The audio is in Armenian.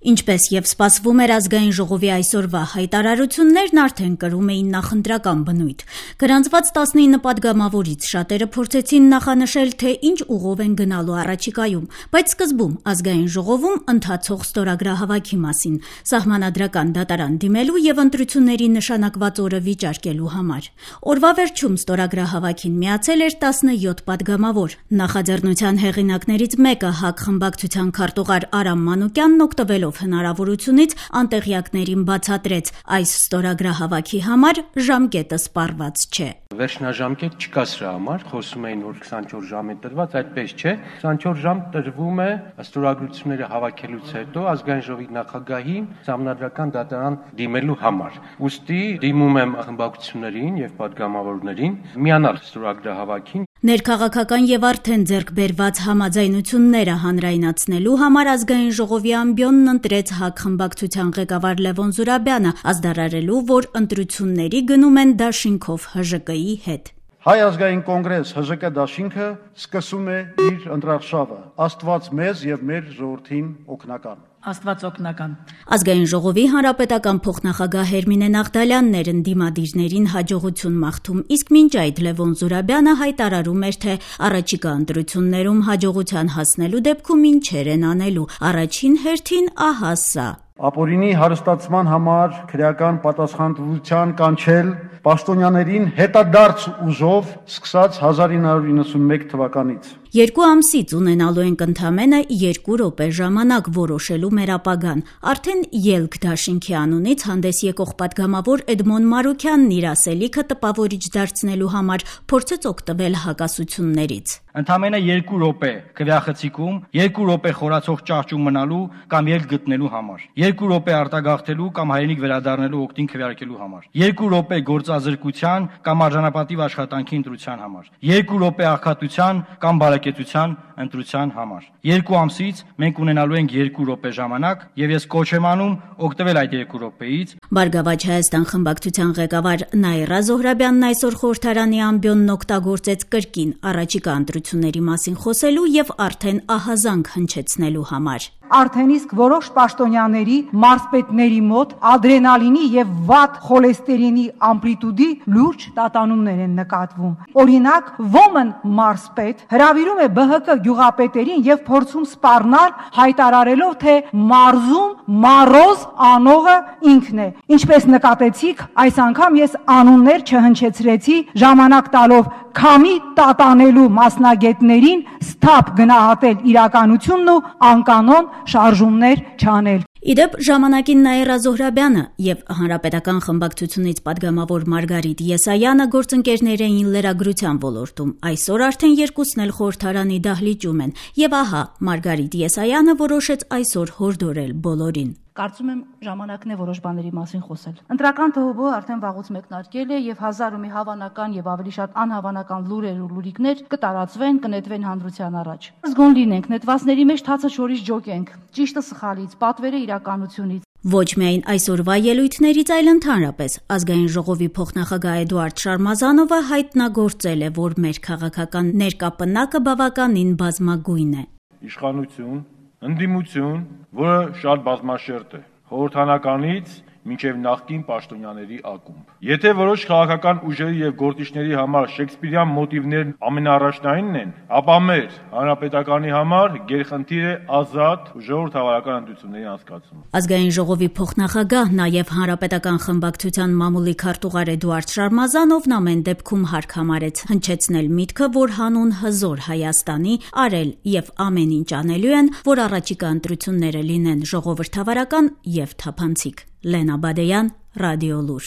Ինչպես եւ սպասվում էր ազգային ժողովի այսօրվա հայտարարություններն արդեն կրում էին նախընտրական բնույթ։ Գրանցված 19 падգամավորից շատերը փորձեցին նախանշել, թե ինչ ուղով են գնալու առաջիկայում, բայց սկզբում ազգային ժողովում ընթացող ստորագրահավաքի մասին, սահմանադրական դատարան դիմելու եւ ընտրությունների նշանակված օրը վիճարկելու համար։ Օրվա վերջում ստորագրահավաքին միացել էր 17 падգամավոր։ Նախաձեռնության հեղինակներից մեկը ՀԱԿ խմբակցության քարտուղար Արամ Մանուկյանն օգտվելով հնարավորությունից անտեղյակներին բացատրեց, այս ստորագրահավաքի համար ժամկետը սպառված չէ։ Վերջնաժամկետ չկա սրա համար, խոսում էին, որ 24 ժամ է տրված, այդպես չէ։ 24 ժամ տրվում է ստորագրությունները հավաքելուց հետո ազգային ժողովի նախագահին սահմանադրական դատարան դիմելու համար։ Ուստի դիմում եմ խմբակցություններին եւ падգամավորներին միանալ ստորագրահավաքին։ Ներքաղաքական եւ արդեն ձեռք բերված համաձայնությունները հանրայնացնելու համար ազգային ժողովի ամբիոնն ընտրեց ՀԱԿ խմբակցության ղեկավար Լևոն Զուրաբյանը, ազդարարելու, որ ընտրությունների գնում են դաշինքով ՀԺԿ-ի հետ։ Հայ ազգային կոնգրես ՀԺԿ դաշինքը սկսում է իր ընտրարշավը։ Աստված մեզ եւ մեր ժողովրդին օգնական։ Աստված օգնական։ Ազգային ժողովի հանրապետական փոխնախագահ Հերմինե Նաղդալյանն էր ընդդիմադիրներին հաջողություն մաղթում, իսկ մինչ այդ Լևոն Զուրաբյանը հայտարարում էր, թե առաջիկա ընտրություններում հաջողության հասնելու դեպքում ինչեր են անելու։ Առաջին հերթին ահա սա. Ապօրինի հարստացման համար քրեական պատասխանատվության կանչել պաշտոնյաներին հետադարձ ուժով սկսած 1991 թվականից։ 2 ամսից ունենալու ենք ընդամենը 2 րոպե ժամանակ որոշելու մեր ապագան։ Արդեն ելք դաշինքի անունից հանդես եկող падգամավոր Էդմոն Մարուքյանն իր ասելիքը տպավորիչ դարձնելու համար փորձեց օգտվել հակասություններից։ Ընդամենը 2 րոպե քվեախցիկում, 2 րոպե խորացող ճահճում մնալու կամ ելք գտնելու համար, 2 րոպե արտագաղթելու կամ հայրենիք վերադառնալու օգտին քվեարկելու համար, 2 րոպե գործազրկության կամ արժանապատիվ աշխատանքի ընտրության համար, 2 րոպե աղքատության կամ բարեկեցության ընտրության համար։ 2 ամսից մենք ունենալու ենք 2 րոպե ժամանակ եւ ես կոչ եմ անում օգտվել այդ 2 րոպեից։ Բարգավաճ Հայաստան խմբակցության ղեկավար Նաիրա Զոհրաբյանն այսօր խորհրդարանի ամբիոնն օգտագործեց կրկին առաջիկա ընտրությունների մասին խոսելու եւ արդեն ահազանգ հնչեցնելու համար։ Արդեն իսկ որոշ պաշտոնյաների մարզպետների մոտ ադրենալինի եւ վատ խոլեստերինի ամպլիտուդի լուրջ տատանումներ են նկատվում։ Օրինակ, ոմն մարզպետ հրավիրում է ԲՀԿ գյուղապետերին եւ փորձում սպառնալ, հայտարարելով, թե մարզում մարոզ անողը ինքն է։ Ինչպես նկատեցիք, այս անգամ ես անուններ չհնչեցրեցի, ժամանակ տալով քամի տատանելու մասնագետներին սթափ գնահատել իրականությունն ու անկանոն շարժումներ չանել։ Իդեպ ժամանակին Նաիրա Զոհրաբյանը եւ հանրապետական խմբակցությունից падգամավոր Մարգարիտ Եսայանը գործընկերներ էին լրագրության ոլորտում։ Այսօր արդեն երկուսն էլ խորհրդարանի դահլիճում են եւ ահա Մարգարիտ Եսայանը որոշեց այսօր հորդորել բոլորին։ Կարծում եմ ժամանակն է որոշ բաների մասին խոսել։ Ընտրական ՀՀԲ արդեն վաղուց մեկնարկել է եւ 1000 ու մի հավանական եւ ավելի շատ անհավանական լուրեր ու լուրիկներ կտարածվեն, կնետվեն հանրության առաջ։ Զգոն լինենք, նետվածների մեջ թացը շորից ջոկենք, ճիշտը սխալից, պատվերը իրականությունից։ Ոչ միայն այսօրվա ելույթներից, այլ ընդհանրապես ազգային ժողովի փոխնախագահ Էդուարդ Շարմազանովը հայտնագործել է, որ մեր քաղաքական ներկապնակը բավականին բազմագույն է։ Իշխանություն, ընդդիմություն, որը շատ բազմաշերտ է, խորհրդարանականից մինչև նախկին պաշտոնյաների ակումբ։ Եթե որոշ քաղաքական ուժերի եւ գործիչների համար շեքսպիրյան մոտիվներն ամենաառաջնայինն են, ապա մեր հանրապետականի համար գերխնդիր է ազատ ու ժողովրդավարական ընտրությունների անցկացումը։ Ազգային ժողովի փոխնախագահ, նաեւ հանրապետական խմբակցության մամուլի քարտուղար Էդուարդ Շարմազանովն ամեն դեպքում հարկ համարեց հնչեցնել միտքը, որ հանուն հզոր Հայաստանի արել եւ ամեն ինչ անելու են, որ առաջիկա ընտրությունները լինեն ժողովրդավարական եւ թափանցիկ։ Լենա Բադեյան, Ռադիոլուր։